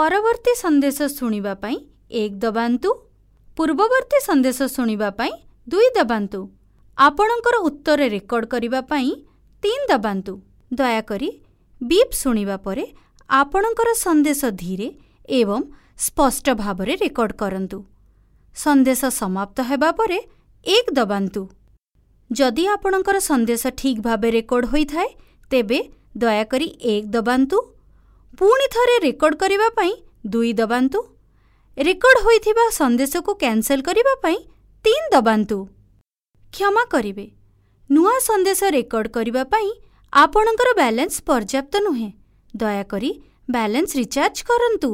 ପରବର୍ତ୍ତୀ ସନ୍ଦେଶ ଶୁଣିବା ପାଇଁ 1 ଦବାନ୍ତୁ। ପୂର୍ବବର୍ତ୍ତୀ ସନ୍ଦେଶ ଶୁଣିବା ପାଇଁ 2 ଦବାନ୍ତୁ। ଆପଣଙ୍କର ଉତ୍ତର ରେକର୍ଡ କରିବା ପାଇଁ 3 ଦବାନ୍ତୁ। ଦୟାକରି ବିପ୍ ଶୁଣିବା ପରେ ଆପଣଙ୍କର ସନ୍ଦେଶ ଧୀରେ ଏବଂ ସ୍ପଷ୍ଟ ଭାବରେ ରେକର୍ଡ କରନ୍ତୁ। ସନ୍ଦେଶ ସମାପ୍ତ ହେବା ପରେ 1 ଦବାନ୍ତୁ। ଯଦି ଆପଣଙ୍କର ସନ୍ଦେଶ ଠିକ୍ ଭାବେ ରେକର୍ଡ ହୋଇଥାଏ, ତେବେ ଦୟାକରି 1 ଦବାନ୍ତୁ। ପୁଣି ଥରେ ରେକର୍ଡ କରିବା ପାଇଁ 2 ଦବାନ୍ତୁ। ରେକର୍ଡ ହୋଇଥିବା ସନ୍ଦେଶକୁ କ୍ୟାନ୍ସଲ୍ କରିବା ପାଇଁ 3 ଦବାନ୍ତୁ। କ୍ଷମା କରିବେ, ନୂଆ ସନ୍ଦେଶ ରେକର୍ଡ କରିବା ପାଇଁ ଆପଣଙ୍କର ବାଲାନ୍ସ ପର୍ଯ୍ୟାପ୍ତ ନୁହେଁ। ଦୟାକରି ବାଲାନ୍ସ ରିଚାର୍ଜ କରନ୍ତୁ।